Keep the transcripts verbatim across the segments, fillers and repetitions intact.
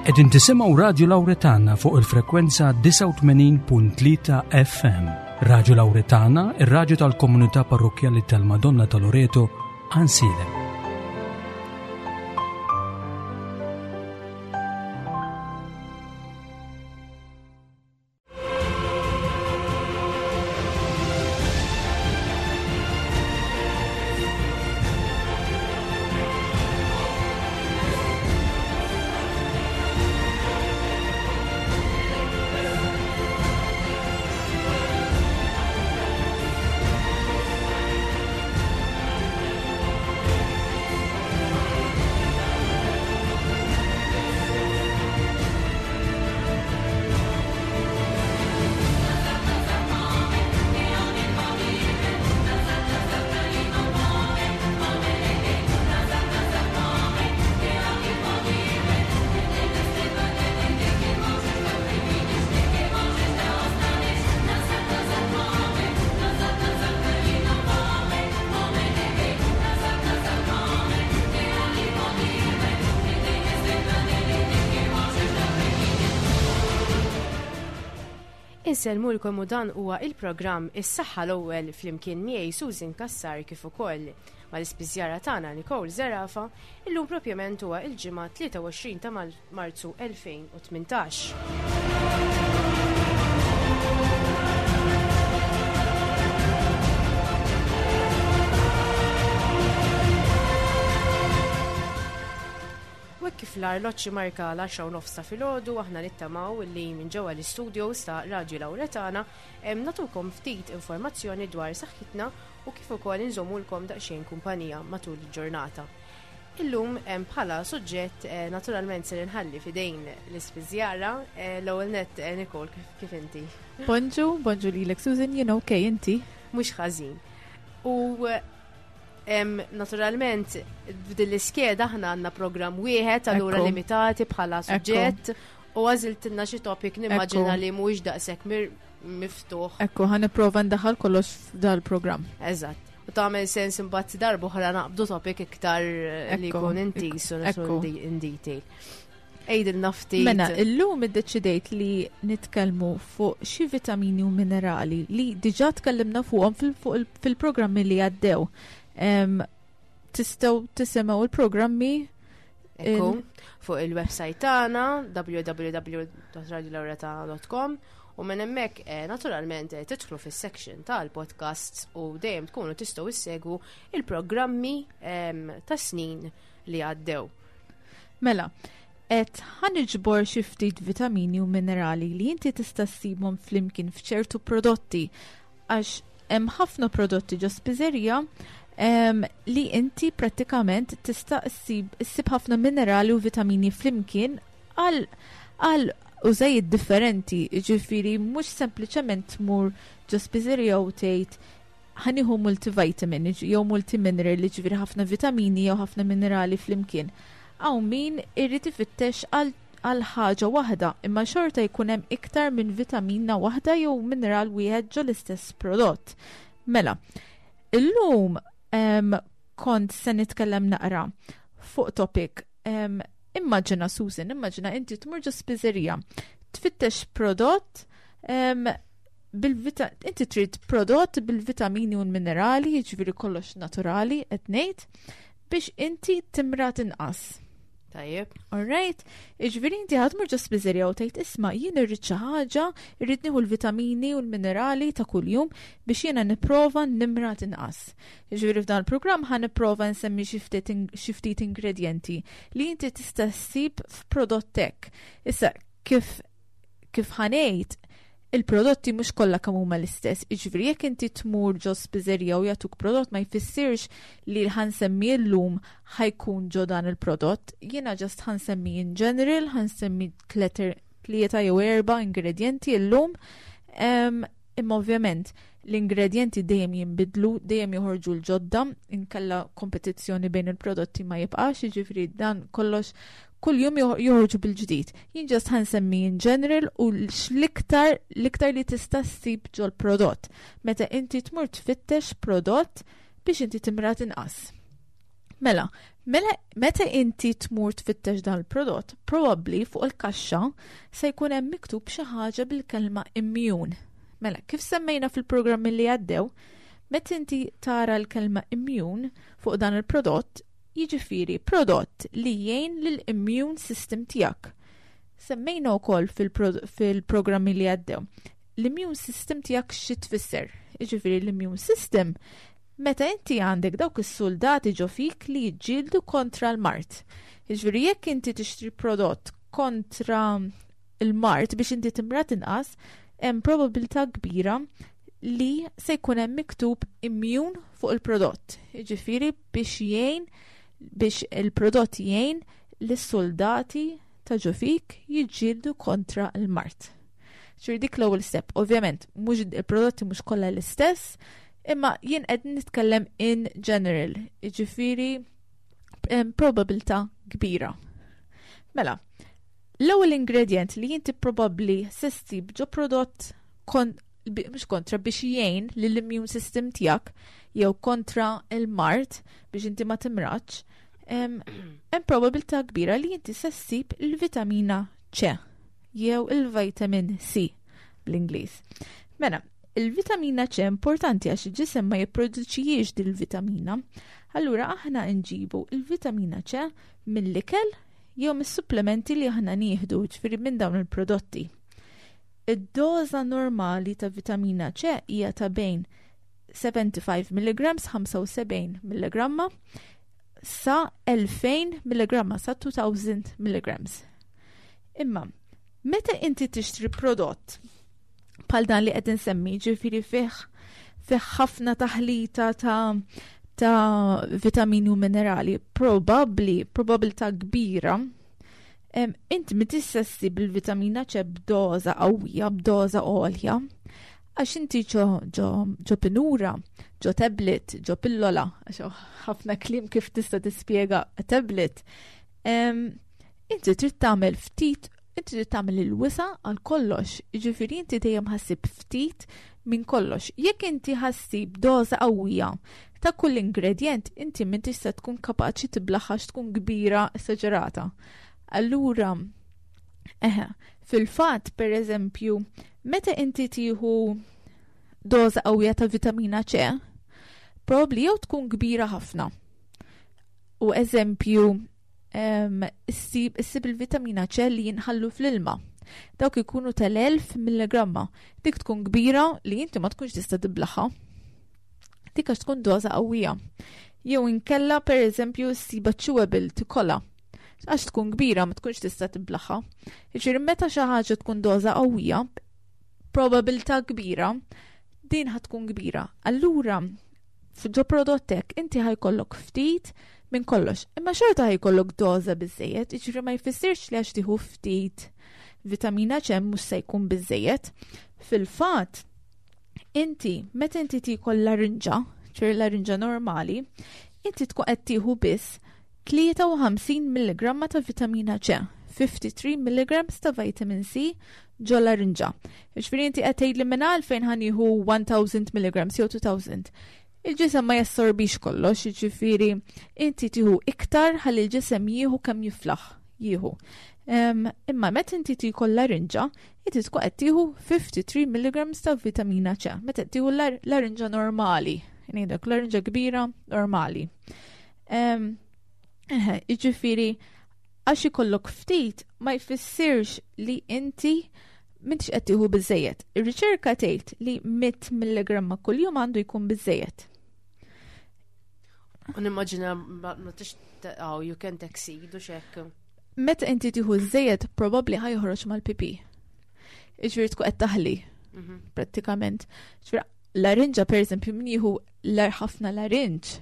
Qegħdin tisimgħu Radio Lauretana fuq il-frekwenza disgħa u tmenin punt tlieta F M. Radio Lauretana, ir-radju tal-Komunità Parrokkjali tal-Madonna ta' Loreto, Għajnsielem. Insellmulkom u dan huwa il-programm Is-Saħħa l-ewwel flimkien miegħi Susan Cassar kif ukoll mal-ispiżjara tagħna Nicole Zerafa. Illum propjament huwa il-ġimgħa tlieta u għoxrin ta' Mal-, Marzu elfejn u tmintax. U hekk kif l-arloġġ marka l-għaxra u nofs ta' filgħodu, aħna nittamaw li minn ġewwa l-istudios ta' Radio Lauretana hemm natukom ftit informazzjoni dwar saħħitna u kif ukoll inżommulkom daqsxejn kumpanija matul il-ġurnata. Illum hemm bħala suġġett, eh, naturalment se nħalli fidejn l-ispiżjara, eh, l-ewwel nett, eh, Nicole, kif, kif inti? Bonġu, bonġu lilek Susan, jien okej, inti? Mhux ħażin. U em, naturalment f'din l-iskeda aħna għandna programm wieħed, allura Ekku. limitati bħala Ekku. suġġett u għażiltilna xi topic nimmaġina Ekku. li mhuwiex daqshekk mir-, miftuħ. Ekku, ħa nipprova ndaħħal kollox f'dal-programm. Eżatt. U tagħmel sens imbagħad darba oħra naqbdu topic iktar li Ekku. jkun intis u nidħlu Ekku. in di-, in detail. Ejdilna ftit. Mela, illum iddeċidejt li nitkellmu fuq xi vitamini u minerali li diġà tkellimna fuqhom fil-, fuq il-, fil-programmi li għaddew. Em, tistgħu tisimgħu il-programmi Ekku, il- fuq il-website tagħna w w w dot radio lauretana dot com u minn hemmhekk, eh, naturalment, eh, tidħlu fis-section tal-podcasts u dejjem tkunu tistgħu issegwu il-programmi, em, ta' snin li għaddew. Mela, qed ħaniġbor xi ftit vitamini u minerali li inti tista' ssibhom flimkien f'ċertu prodotti għax hemm ħafna prodotti ġo spiżerija, em, li inti prattikament tista' ssib, ssib ħafna minerali u vitamini flimkien għal, għal użajiet differenti, ġifieri mhux sempliċement tmur ġo spiżerija u tgħid ħaniħu multivitamin jew multimineral, ġifieri ħafna vitamini jew ħafna minerali flimkien. Hawn min irid ifittex għal, għal ħaġa waħda, imma xorta jkun hemm iktar minn vitamina waħda jew mineral wieħed ġo l-istess prodott. Mela, illum, em, kont se nitkellem naqra fuq topic. Em, immaġina Susan, immaġina inti tmur ġo spiżerija, tfittex prodott, em, bil-vita-, inti trid prodott bil-vitamini u l-minerali, jiġifieri kollox naturali, qed ngħid, biex inti timrad inqas. Tajjeb. All right, jiġifieri inti ħadd mur ġo spiżerija u tgħid isma' jien irrid xi ħaġa, irrid nieħu l-vitamini u l-minerali ta' kuljum biex jiena nipprova nimrad inqas. Jiġifieri f'dan il-programm ħa nipprova nsemmi xi ftit ing-, xi ftit ingredjenti li inti tista' ssib f'prodott hekk. Issa kif, kif ħanejt, il-prodotti mhux kollha kemm huma l-istess. Jiġifieri jekk inti tmur ġo spiżerija u jagħtuk prodott ma jfissirx li ħansemmi llum ħajkun ġo dan il-prodott. Jiena just ħansemmi in general, ħansemmi tleter, tlieta jew erba' ingredienti llum. Em, imma ovvjament l-ingredienti dejjem jinbidlu, dejjem joħorġu l-ġodda, inkella kompetizzjoni bejn il-prodotti ma jibqax, jiġifieri dan kollox kull jum joħ-, joħorġu bil-ġdid. Jien just ħansemmi in general u l-iktar, l-iktar li tista' ssib ġol-prodott. Meta inti tmur tfittex prodott biex inti timrad inqas. Mela, mela meta inti tmur tfittex dan il-prodott, probabbli fuq il-kaxxa se jkun hemm miktub xi ħaġa bil-kelma immune. Mela, kif semmejna fil-programmi li għaddew, meta inti tara l-kelma immune fuq dan il-prodott, jiġifieri prodott li jgħin lill-immune system tiegħek. Semmejna wkoll fil-programmi li għaddew. L-immune system tiegħek xi tfisser? Jiġifieri l-immune system meta inti għandek dawk is-soldati ġo fik li jiġġieldu kontra l-mard. Jiġifieri jekk inti tixtri prodott kontra il-mard biex inti timrad inqas, hemm probabilità kbira li se jkun hemm miktub immune fuq il-prodott. Jiġifieri biex jgħin biex il-prodott jgħin lis-soldati ta' ġo fik jiġġieldu kontra l-mard. Ġifieri dik l-ewwel step. Ovvjament, mhux il-prodotti mhux kollha l-istess, imma jien qed nitkellem in general, jiġifieri probabilità kbira. Mela, l-ewwel ingredient li inti probabbli se ssib ġo prodott kon, mhux kontra biex jgħin lill-immune system tiegħek jew kontra il-mard biex inti ma timradx, hemm probabilità kbira li inti se ssib il-vitamina C jew il-vitamin C bl-Ingliż. Mela, il-vitamina C importanti għax il-ġisem ma jipproduċijiex dil-vitamina. Allura aħna nġibu il-vitamina C mill-ikel jew mis-supplementi li aħna nieħdu, ġifieri minn dawn il-prodotti. Id-doża normali ta' vitamina C hija ta' bejn sebgħa u ħamsin milligramma, ħamsa u sebgħin milligramma, sa elfejn milligramma, sa elfejn milligrams. Imma, meta inti tixtri prodott bħal dan li qed insemmi, ġifieri fih fih ħafna taħlita ta' ta' vitamini u minerali, probabbli, probabilità kbira, inti ma tistax issib il-vitamina C b'doża qawwija, b'doża għolja, għax inti ġo, ġo, ġo pinura, ġo tablet, ġo pillola, għax ħafna kliem kif tista' tispjega tablet, inti trid tagħmel ftit, inti trid tagħmel il-wisa għal kollox, jiġifieri inti dejjem ħa ssib ftit minn kollox. Jekk inti ħa ssib doża qawwija ta' kull ingredient, inti m'intix se tkun kapaċi tiblaħħa tkun kbira esaġerata. Allura, eħe, fil-fatt, per eżempju, meta inti tieħu doża qawwija ta' vitamina C, probably jew tkun kbira ħafna. U eżempju, issib il-vitamina C li jinħallu fl-ilma. Dawk ikunu tal-elf milligramma. Dik tkun kbira li inti ma tkunx tista' tiblaħħa. Dik għax tkun doża qawwija. Jew inkella per eżempju ssiba chewable tikola. Għax tkun kbira ma tkunx tista' tiblaħħa. Jiġifieri meta xi ħaġa tkun doża qawwija, probabilità kbira, din ħa tkun kbira. Allura, ġo prodottek inti ħa jkollok ftit minn kollox. Imma xorta ħa jkollok doża biżejjed, jiġifieri ma jfissirx li għax tieħu ftit vitamina C mhux se jkun biżejjed. Fil-fatt, inti meta inti tiekol larinġa, ċer larinġa normali, inti tkun qed tieħu biss tlieta u ħamsin milligramma ta' vitamina C, tlieta u ħamsin milligrams ta' vitamin C ġo larinġa. Jiġifieri inti qed tgħidli minn għalfejn ħa nieħu elf milligrams jew elfejn. Il-ġisem ma jassorbix kollox, jiġifieri inti tieħu iktar ħalli l-ġisem jieħu kemm jiflaħ jieħu. Imma meta inti tiekol larinġa, inti tkun qed tieħu tlieta u ħamsin milligrams ta' vitamina C. Meta tieħu larinġa normali, ngħidlek larinġa kbira normali. Jiġifieri għax ikollok ftit ma jfissirx li inti m'intix qed tieħu biżejjed. Ir-riċerka tgħid li mitt milligramma kuljum għandu jkun biżejjed. U nimmaġina ma tix oh, you can't exceed u xek. Meta inti tieħu żejjed probabbli ħa joħroġ mal-pipi. Jiġifieri tkun qed taħli mhm. prattikament. Jiġifieri larinġa per eżempju min jieħu ħafna larinġ.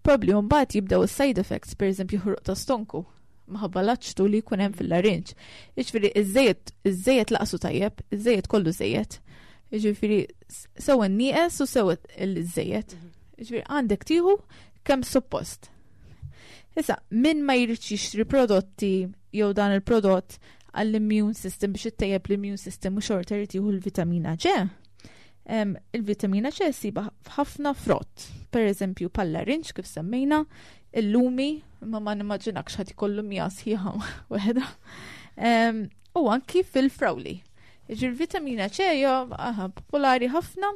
Probably mbagħad jibdew is-side effects, per eżempju ħruq ta' stonku minħabba l-aċtu li jkun hemm fil-larinġ. Jiġifieri iż-żejjed iż-żejjed lanqas hu tajjeb, iż-żejjed kollu żejjed. Jiġifieri sew nieqes u sew il-żejjed. Mhm. Jiġifieri għandek tieħu kemm suppost. Issa, min ma jridx jixtri prodotti jew dan il-prodott għall-immune system biex ittejjeb l-immune system u xorta jrid jieħu l-vitamina C. Il-vitamina C ssibha f'ħafna frott, per eżempju bħal-larinġ kif semmejna, Il-lumi, ma ma nimmaġinakx ħadd ikollu mija sħiħa waħda. U anki fil-frawli. Ġir vitamina C hija popolari ħafna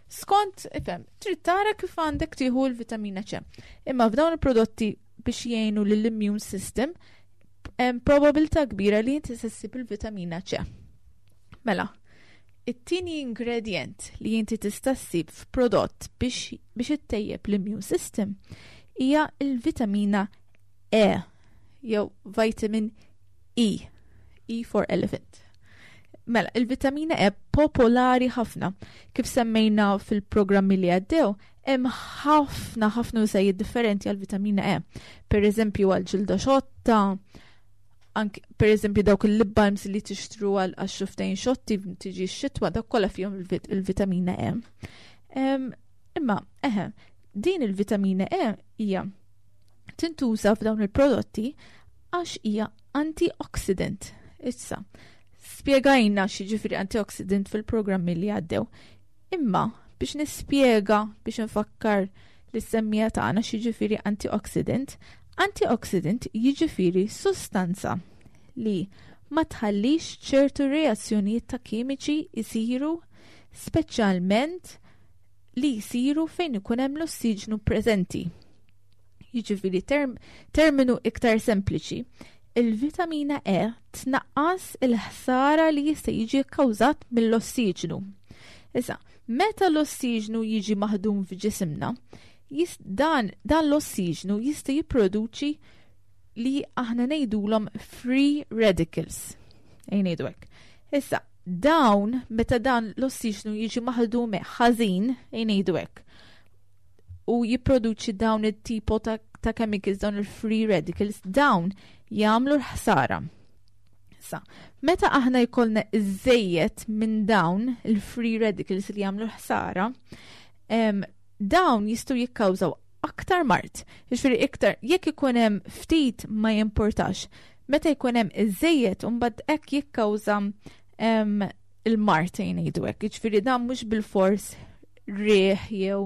skont, ifhem, trid tara kif għandek tieħu l-vitamina C. Imma f'dawn il-prodotti biex jgħinu lill-immune system, hemm probabilità kbira li inti se ssib il-vitamina C. Mela, it-tieni ingredient li inti tista' ssib f'prodott biex biex ittejjeb l-immune system hija il-vitamina E jew vitamin E, E for elephant. Mela, il-vitamina E popolari ħafna. Kif semmejna fil-programmi li għaddew, hemm ħafna ħafna użajiet differenti għal vitamina E. Per eżempju għal ġilda xotta, anke per eżempju dawk il-lip balms li tixtru għal xufftejn xotti tiġi x-xitwa, dak kollha fihom il-vitamina E. Imma, eħe, din il-vitamina E hija tintuża f'dawn il-prodotti għax hija antioxidant. Issa, spjegajna x'jiġifieri antioxidant fil-programmi li għaddew. Imma biex nispjega, biex nfakkar lis-semmiegħa tagħna x'jiġifieri antioxidant, antioxidant jiġifieri sustanza li ma tħallix ċertu reazzjonijiet ta' kimiċi jisiru, speċjalment li jisiru fejn ikun hemm l-ossiġnu preżenti. Jiġifieri term, terminu iktar sempliċi, il-vitamina E tnaqqas il-ħsara li jista' jiġi kkawżat mill-ossiġnu. Issa, meta l-ossiġnu jiġi maħdum f'ġisimna, dan, dan l-ossiġnu jista' jipproduċi li aħna ngħidulhom free radicals. Ejja ngħidu hekk. Issa, dawn, meta dan l-ossiġnu jiġi maħdum ħażin, ejja ngħidu hekk, u jipproduċi dawn it-tipo ta', ta' chemicals, dawn il-free radicals, dawn jagħmlu l-ħsara. Issa, meta aħna jkollna iżejjed minn dawn il-free radicals li jagħmlu l-ħsara, dawn jistgħu jikkawżaw aktar mard. Jiġifieri iktar, jekk ikun hemm ftit ma jimportax. Meta jkun hemm iżejjed imbagħad hekk jikkawża il-mard, ngħidu hekk. Jiġifieri dan mhux bil-fors riħ jew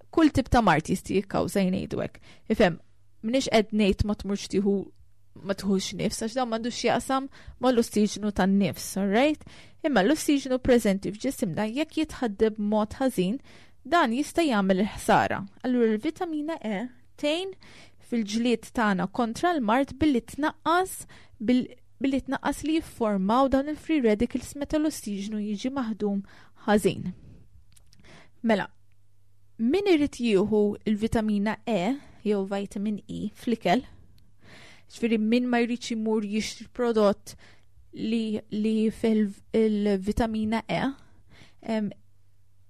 kull tip ta' mard jista' jikkawża, ngħidu hekk. Ifhem, m'iniex qed ngħid ma tmurx tieħu ma tieħux nifs, għax dan m'għandux jaqsam mal-ossiġnu tan-nifs, alright? Imma l-ossiġnu preżenti f'ġisimna jekk jitħaddem b'mod ħażin, dan jista' jagħmel il-ħsara. Allura l-vitamina E tgħin fil-ġlied tagħna kontra l-mard billi tnaqqas billi tnaqqas li jiffurmaw dawn il-free radicals meta l-ossiġnu jiġi maħdum ħażin. Mela, min irid jieħu il-vitamina E jew vitamin E fl-ikel, ġifieri min ma jridx imur jixtri prodott li, li fil-vitamina E, em,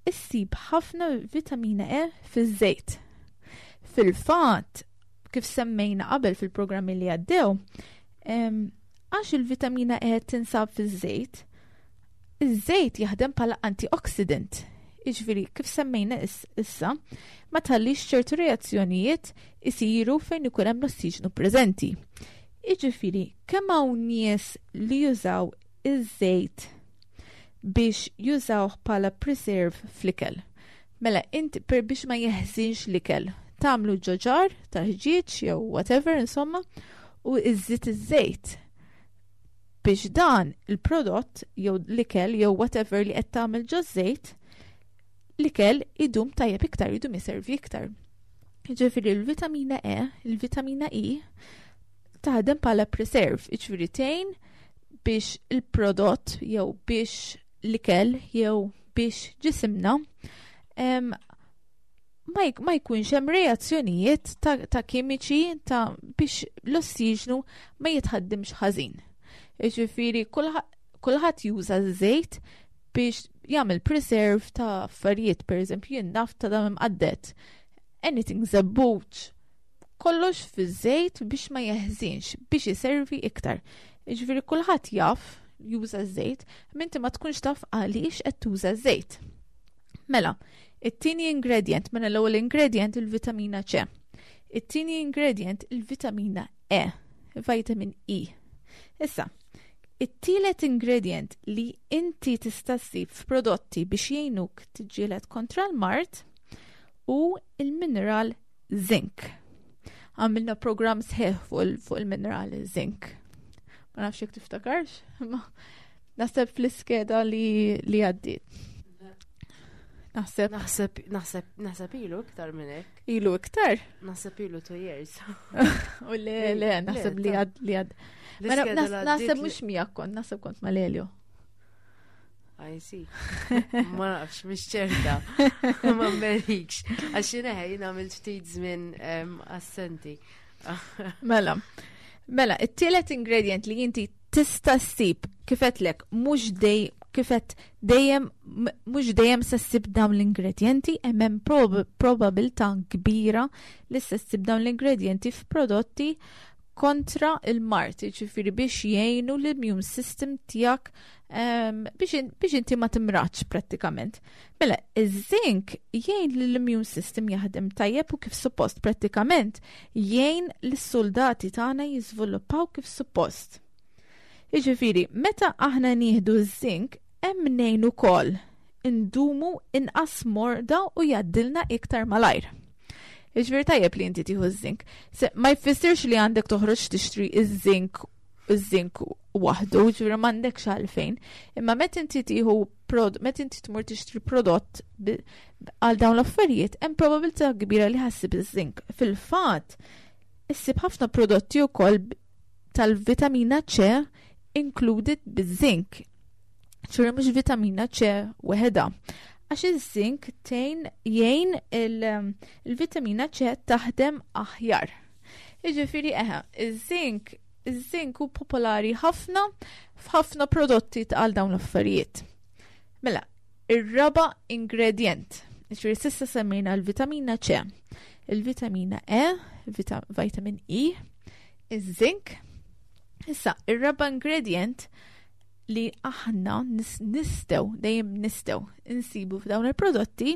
issib ħafna vitamina E fiż-żejt. Fil-fatt, kif semmejna qabel fil-programmi li għaddew, għax il-vitamina E tinsab fiż-żejt, iż-żejt jaħdem bħala antioxidant. Jiġifieri, kif semmejna issa, ma tħallix ċertu reazzjonijiet isiru fejn ikun hemm l-ossiġnu preżenti. Jiġifieri, kemm hawn nies li jużaw iż-żejt biex jużawh bħala preserve fl-ikel. Mela, inti per biex ma jeħżinx l-ikel, tagħmlu ġo jar tal-ħġieġ jew whatever, insomma, u iżżid iż-żejt biex dan il-prodott jew l-ikel jew whatever li qed tagħmel ġo żejt, l-ikel idum tajjeb iktar, idum jiservi iktar. Ġifieri l-vitamina E, il-vitamina E, taħdem bħala preserve, ġifieri tgħin biex il-prodott jew biex l-ikel jew biex ġisimna ma jkunx hemm reazzjonijiet ta', ta kimiċi ta' biex l-ossiġnu ma jitħaddimx ħażin. Ġifieri kulħadd juża żejt biex jagħmel preserve ta' affarijiet, per eżempju jien naf ta' dam imqadded, anything żebbuġ, kollox fiż-żejt biex ma jeħżinx, biex jiservi iktar. Ġifieri kulħadd jaf juża żejt, minti ma tkunx taf għaliex qed tuża żejt. Mela, it-tieni ingredient, mela l-ewwel ingredient il-vitamina C. It-tieni ingredient il-vitamina E, vitamin E. Issa, it-tielet ingredient li inti tista' ssib f'prodotti biex jgħinuk tiġġieled kontra l-mard hu il-mineral zinc. Għamilna program sħiħ fuq il-minerali zinc. Ma nafx jekk tiftakarx, ma naħseb fl-iskeda li li għaddiet. Naħseb. Naħseb, naħseb, naħseb ilu iktar minn hekk. Ilu iktar? Naħseb ilu two years. U le, le, naħseb li għad, li għad. Naħseb mhux miegħek kont, naħseb kont ma' Lelio. I see. Ma nafx, mhix ċerta. Ma merikx. Għax jiena jien għamilt ftit żmien assenti. Mela. Mela, it-tielet ingredient li inti tista' ssib kif għedtlek mhux dej kif għedt dejjem mhux dejjem se ssib dawn l-ingredienti, hemm hemm probabilità kbira li se ssib dawn l-ingredienti f'prodotti kontra il-mard, ġifieri biex jgħinu l-immune system tiegħek biex inti ma timradx prattikament. Mela, iż-zinc jgħin l-immune system jaħdem tajjeb u kif suppost prattikament jgħin l-soldati tagħna jiżviluppaw kif suppost. Jiġifieri, meta aħna nieħdu ż-zinc, hemm ngħin ukoll indumu inqas morda u jgħaddilna iktar malajr. Jiġifieri tajjeb li inti tieħu ż-zinc. Ma jfissirx li għandek toħroġ tixtri iż-zinc iż-zinc waħdu, ġifieri m'għandekx għalfejn. Imma meta inti tieħu meta inti tmur tixtri prodott għal dawn l-affarijiet, hemm probabilità kbira li ħa ssib iż-zinc. Fil-fatt, issib ħafna prodotti wkoll tal-vitamina C included biż-zinc. Ġifieri mhux vitamina C weħeda. Għax iż-zinc tejn jgħin il-vitamina C taħdem aħjar. Jiġifieri eħe, iż-zinc iż-zinc hu popolari ħafna f'ħafna prodotti għal dawn l-affarijiet. Mela, ir-raba ingredient. Ġifieri s'issa semmejna l-vitamina C, il-vitamina E, vitamin E, iż-zinc. Issa, ir-raba ingredient li aħna nistgħu, dejjem nistgħu insibu f'dawn il-prodotti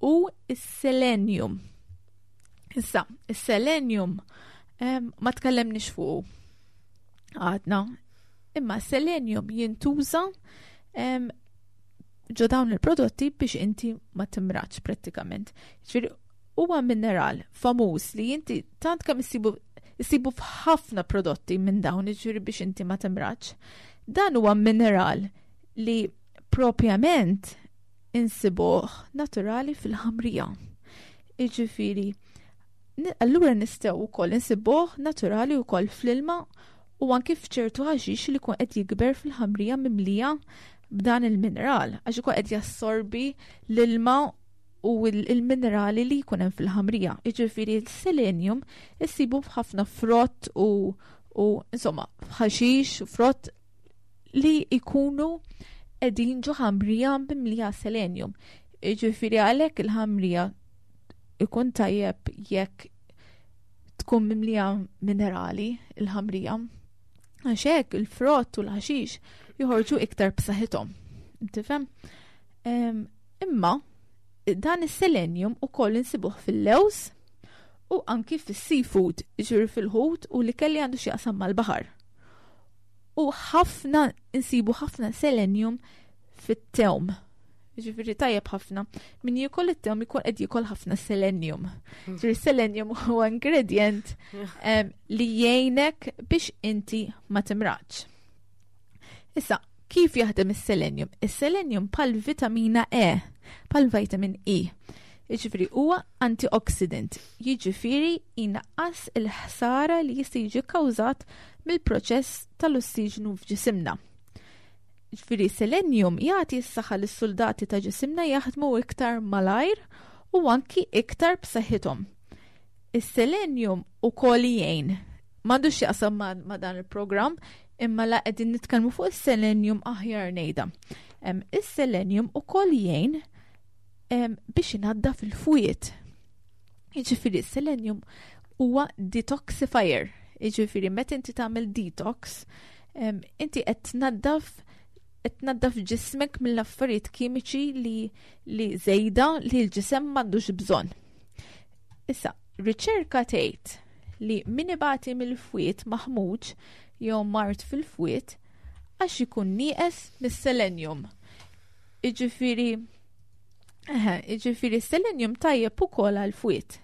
u is-selenium. Issa, is-selenium ma tkellemniex fuq għadna, imma selenium jintuża ġo dawn il-prodotti biex inti ma timradx prattikament. Ġifieri huwa mineral famuż li inti tant kemm issibu issibu f'ħafna prodotti minn dawn, ġifieri biex inti ma timradx. Dan huwa mineral li propjament insibuh naturali fil-ħamrija. Jiġifieri, allura nistgħu wkoll insibuh naturali wkoll fl-ilma u anki f'ċertu ħaxix li jkun qed jikber fil-ħamrija mimlija b'dan il-mineral, għax ikun qed jassorbi l-ilma u il-minerali li jkun hemm fil-ħamrija. Jiġifieri l-selenium issibu f'ħafna frott u, u insomma ħaxix u frott li jkunu qegħdin ġo ħamrija mimlija selenium. Jiġifieri għalhekk il-ħamrija ikun tajjeb jekk tkun mimlija minerali il-ħamrija. Għax hekk il-frott u l-ħaxix joħorġu iktar b'saħħithom. Tifhem? Imma dan is-selenium ukoll insibuh fil-lewż u anki fis-seafood, ġifieri fil-ħut u li kelli għandu x'jaqsam mal-baħar. U ħafna insibu ħafna selenium fit-tewm. Ġifieri tajjeb ħafna. Min jiekol it-tewm ikun qed jiekol ħafna selenium. Ġifieri selenium huwa ingredient li jgħinek biex inti ma timradx. Issa, kif jaħdem is-selenium? Is-selenium bħal vitamina E, bħal vitamin E. Jiġifieri huwa antioxidant, jiġifieri inaqqas il-ħsara li jista' jiġi kkawżat mill-proċess tal-ossiġnu f'ġisimna. Ġifieri selenium jagħti s-saħħa lis-soldati ta' ġisimna jaħdmu iktar malajr u anki iktar b'saħħithom. Is-selenium ukoll jgħin. M'għandux x'jaqsam ma, ma dan il-programm, imma la qegħdin nitkellmu fuq is-selenium aħjar ngħidha. Is-selenium ukoll jgħin biex inaddaf il-fwied. Jiġifieri s-selenium huwa detoxifier. Jiġifieri meta inti tagħmel detox, inti qed tnaddaf qed tnaddaf ġismek mill-affarijiet kimiċi li li żejda li l-ġisem m'għandux bżonn. Issa, riċerka tgħid li min ibati mill-fwied maħmuġ jew mard fil-fwied għax ikun nieqes mis-selenium. Jiġifieri, eħe, jiġifieri selenium tajjeb ukoll għall-fwied.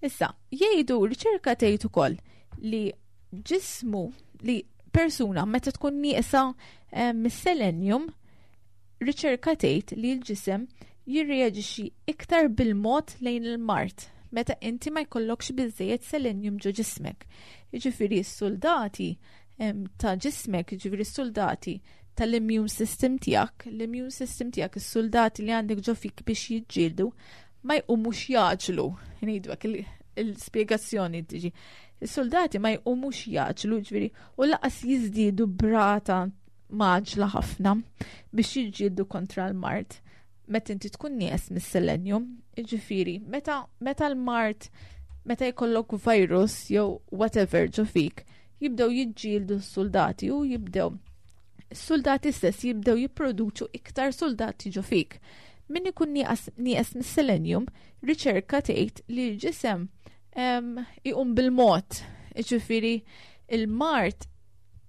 Issa, jgħidu, riċerka tgħid ukoll li ġismu li persuna meta tkun nieqsa eh, mis-selenium, riċerka tgħid li l-ġisem jirreaġixxi iktar bil-mod lejn il-mard meta inti ma jkollokx biżejjed selenium ġo ġismek. Jiġifieri s-soldati ta' ġismek, jiġifieri s-soldati tal-immune system tiegħek, l-immune system tiegħek, is-soldati li għandek ġo fik biex jiġġieldu, ma jqumux jgħaġġlu. Ngħidu hekk il-spjegazzjoni tiġi. Is-soldati ma jqumux jgħaġġlu, ġifieri, u lanqas jiżdiedu b'rata mgħaġġla ħafna biex jiġġieldu kontra l-mard. Meta inti tkun nieqes mis-selenium, jiġifieri, meta, meta l-mard, meta jkollok virus jew whatever ġo fik, jibdew jiġġieldu s-soldati u jibdew s-soldati stess jibdew jipproduċu iktar soldati ġo fik. Min ikun nieqes mis-selenium, riċerka tgħid li l-ġisem iqum bil-mod, jiġifieri il-mard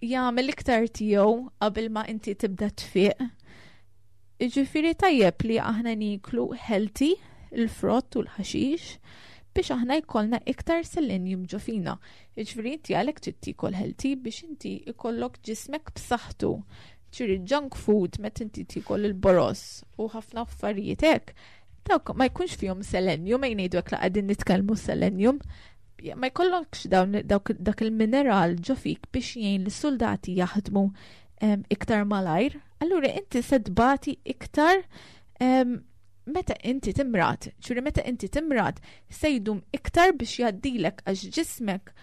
jagħmel iktar tiegħu qabel ma inti tibda tfiq. Jiġifieri tajjeb li aħna niklu healthy, il-frott u l-ħaxix, biex aħna jkollna iktar selenium ġo fina. Jiġifieri inti għalhekk trid tiekol healthy biex inti jkollok ġismek b'saħħtu. Ġifieri junk food meta inti tiekol il-boroż u ħafna affarijiet hekk, dawk ma jkunx fihom selenium, ma jgħidu hekk la qegħdin nitkellmu selenium, ma jkollokx dawn dak il-mineral ġo fik biex jgħin lis-soldati jaħdmu iktar malajr. Allura inti se tbati iktar meta inti timrad, ġifieri meta inti timrad se jdum iktar biex jgħaddilek għax ġismek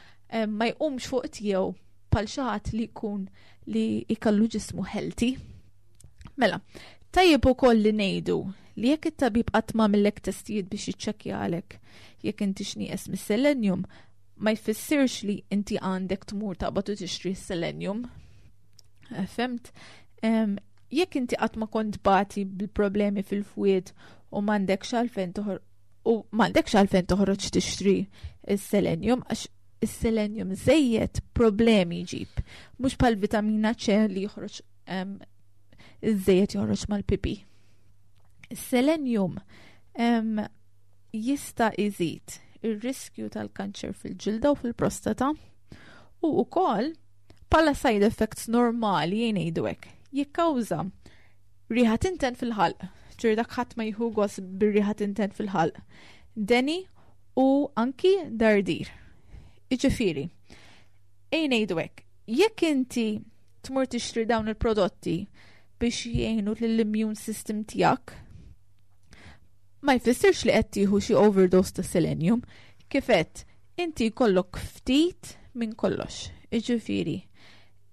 ma jqumx fuq tiegħu bħal xi ħadd li jkun li jkollu ġismu healthy. Mela, tajjeb ukoll li ngħidu li jekk it-tabib qatt m'għamillek testijiet biex jiċċekkjalek jekk inti x'nieqes mis-selenium, ma jfissirx li inti għandek tmur taqbad u tixtri s-selenium. Eh, fhimt? Jekk inti qatt ma kont bati bil-problemi fil-fwied u m'għandekx għalfejn u m'għandekx għalfejn toħroġ tixtri s-selenium għax is-selenium żejjed problemi jġib. Mhux bħal vitamina C li joħroġ iż-żejjed joħroġ mal-pipi. Is-selenium jista' iżid ir-riskju tal-kanċer fil-ġilda u fil-prostata u wkoll bħala side effects normali jgħidu hekk jikkawża riħa tinten fil-ħalq, ġifieri dak ħadd ma jieħu gost bir-riħa tinten fil-ħalq, deni u anki dardir. Jiġifieri, ejja ngħidu hekk, jekk inti tmur tixtri dawn il-prodotti biex jgħinu lill-immune system tiegħek, ma jfissirx li qed tieħu xi overdose ta' selenium, kif għedt inti jkollok ftit minn kollox. Jiġifieri,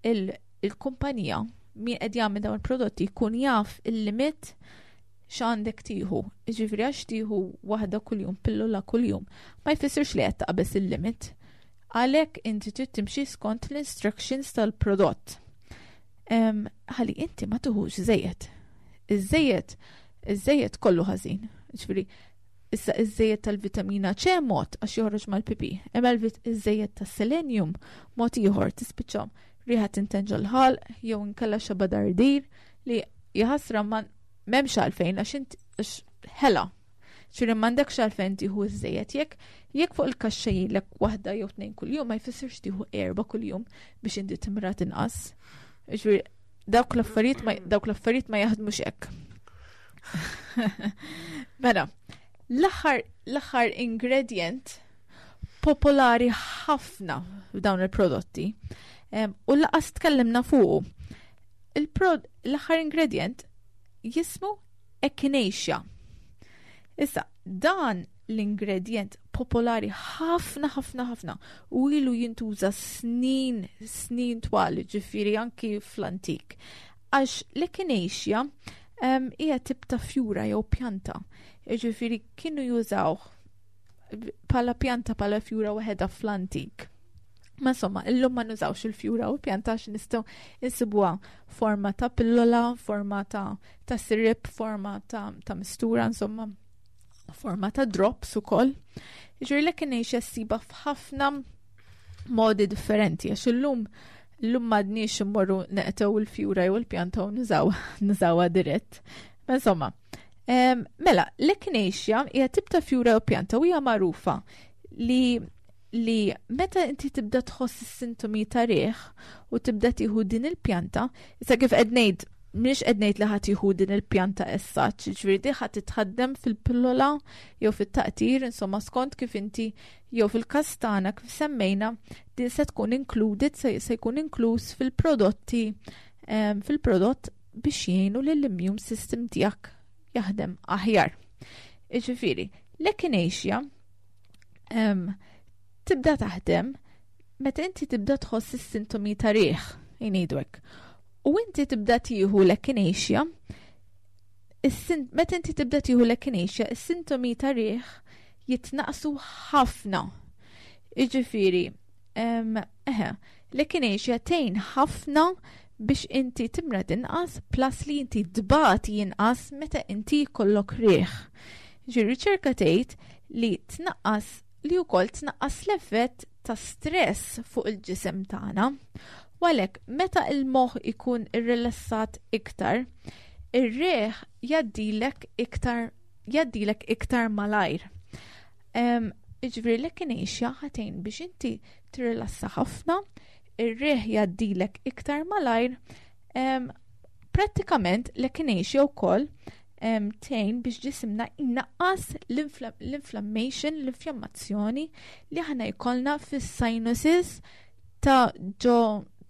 il-kumpanija min qed jagħmel dawn il-prodotti jkun jaf il-limit x'għandek tieħu. Jiġifieri għax tieħu waħda kuljum, pillola kuljum, ma jfissirx li qed taqbeż il-limit. Għalhekk inti trid timxi skont l-instructions tal-prodott. Ħalli inti ma tuħux żejjed. Iż-żejjed, iż-żejjed kollu ħażin. Ġifieri, issa iż-żejjed tal-vitamina C mod għax joħroġ mal-pipi. Imma iż-żejjed tas-selenium mod ieħor tispiċċa riħa tinten ġol-ħalq jew inkella xeba dardir li jaħasra ma m'hemmx għalfejn għax int ħela. Ġifieri m'għandekx għalfejn tieħu iż-żejjed jekk jekk fuq il-kaxxa jgħidlek waħda jew tnejn kuljum ma jfissirx tieħu erba' kuljum biex inti timrad inqas. Ġifieri dawk l-affarijiet ma dawk l-affarijiet ma jaħdmux hekk. Mela, l-aħħar l-aħħar ingredient popolari ħafna f'dawn il-prodotti u lanqas tkellimna fuqu. L-aħħar ingredient jismu echinacea. Issa, dan l-ingredient popolari ħafna ħafna ħafna u ilu jintuża snin, snin twal, ġifieri anki fl-antik. Għax l-echinacea hija tip ta' fjura jew pjanta. Ġifieri kienu jużaw bħala pjanta bħala fjura waħedha fl-antik. Ma insomma, illum ma nużawx il-fjura u pjanta għax nistgħu insibuha forma ta' pillola, forma ta' ta' sirip, forma ta', ta' mistura, insomma, forma ta' drops ukoll. Ġifieri l-echinacea ssibha f'ħafna modi differenti, għax illum illum m'għadniex immorru neqtgħu il-fjura jew il-pjanta u nużaw nużawha dirett. Ma insomma, mela, l-echinacea hija tip ta' fjura u pjanta u hija magħrufa li li meta inti tibda tħoss is-sintomi ta' riħ u tibda tieħu din il-pjanta, issa kif qed ngħid, mhix qed ngħid li ħadd tieħu din il-pjanta issa, ġifieri di ħadd titħaddem fil-pillola jew fit-taqtir, insomma skont kif inti jew fil-każ tagħna kif semmejna, din se tkun included, se, se jkun inkluż fil-prodotti em, fil-prodott biex jgħinu lill-immune system tiegħek jaħdem aħjar. Iġifieri, l-echinacea em, tibda taħdem meta inti tibda tħoss is-sintomi ta' riħ, ngħidu hekk. U inti tibda tieħu l-echinacea, is-sin- meta inti tibda tieħu l-echinacea, is-sintomi ta' riħ jitnaqsu ħafna. Iġifieri, em, eħe, l-echinacea tgħin ħafna biex inti timrad inqas plus li inti tbati inqas meta inti jkollok riħ. Ġi riċerka tgħid li tnaqqas li wkoll tnaqqas l-effett ta' stress fuq il-ġisem tagħna. U għalhekk meta il-moħħ ikun irrilassat iktar, ir-riħ jgħaddilek iktar jgħaddilek iktar malajr. Um, Iġifieri l-echinacea ħa tgħin biex inti tirrilassa ħafna, ir-riħ jgħaddilek iktar malajr. Um, prattikament l-echinacea wkoll um, tgħin biex ġisimna jnaqqas l-infla- l-inflammation, l-infjammazzjoni li aħna jkollna fis-sinuses ta' ġo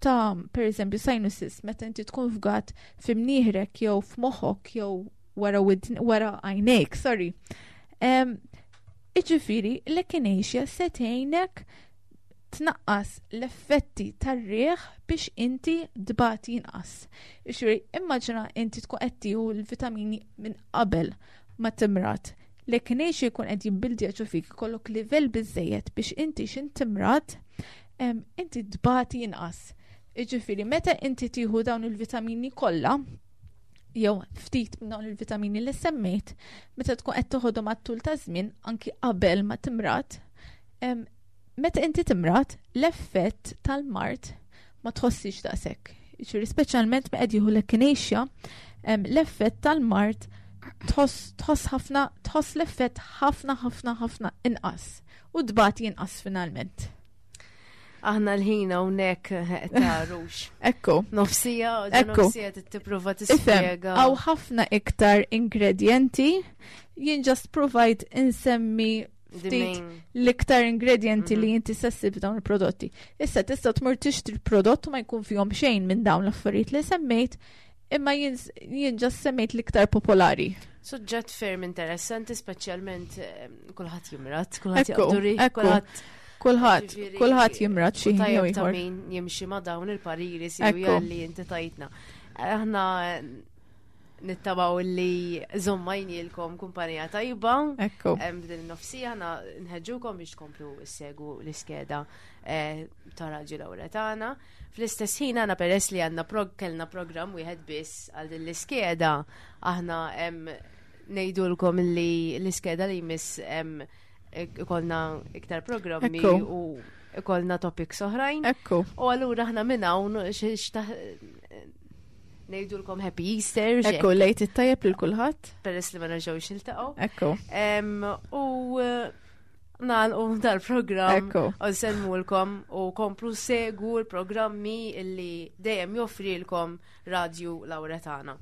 ta' per eżempju sinuses meta inti tkun fgat f'imnieħrek jew f'moħħok jew wara widn- wara għajnejk, sorry. Um, Iġifieri, l-echinacea se tgħinek tnaqqas l-effetti tar-riħ biex inti tbati inqas. Iġifieri, immaġina inti tkun qed tieħu l-vitamini minn qabel ma timrad. L-echinacea jkun qed jibbildja ġo fik, ikollok livell biżejjed biex inti xin timrad, em, inti tbati inqas. Iġifieri, meta inti tieħu dawn il-vitamini kollha, jew ftit minn dawn il-vitamini li semmejt, meta tkun qed toħodhom għat-tul ta' żmien anki qabel ma timrad, em, meta inti timrad, l-effett tal-mard ma tħossix daqshekk. Jiġifieri speċjalment meta qed jieħu l-echinacea, em, l-effett tal-mard tħoss tħoss ħafna tħoss l-effett ħafna ħafna ħafna inqas u tbati inqas finalment. Aħna l-ħin hawnhekk tarux. Ekku. Nofsija, Ekku. nofsija tipprova Ifhem, tispjega. hawn ħafna iktar ingredienti, jien just provide insemmi The ftit main- l-iktar ingredienti li Mhm. inti se ssib dawn il-prodotti. Issa tista' tmur tixtri prodott u ma jkun fihom xejn minn dawn l-affarijiet li semmejt, imma jien jien just semmejt l-iktar popolari. Suġġett ferm interessanti, speċjalment eh, kulħadd jimrad, kulħadd Ekku, jaqbdu riħ, ekku. kulħadd Kulħadd, Ġifieri, kulħadd jimrad xi u ħin jew tajjeb ta' ieħor. min jimxi ma' dawn il-pariri Ekku. sewja li inti tajtna. Aħna nittamaw li żammejnielkom kumpanija tajba. Ekku. Em, B'din nofsija aħna nħeġġukom biex tkomplu ssegwu l-iskeda eh, ta' Radju Lawretana. Fl-istess ħin aħna peress li għandna prog kellna program wieħed biss għal din l-iskeda, aħna em, ngħidulkom li l-iskeda li jmiss em, ikollna iktar programmi Ekku. u ikollna topics oħrajn. Ekku. U allura aħna minn hawn ngħidulkom Happy Easter, Ekku, l-Għid it-tajjeb lil kulħadd. peress li ma nerġgħux niltaqgħu. Ekku. Em, U eh, nagħlqu dal-programm Ekku. u nsellmulkom u komplu segwu l-programmi illi dejjem joffrilkom Radju Lawretana.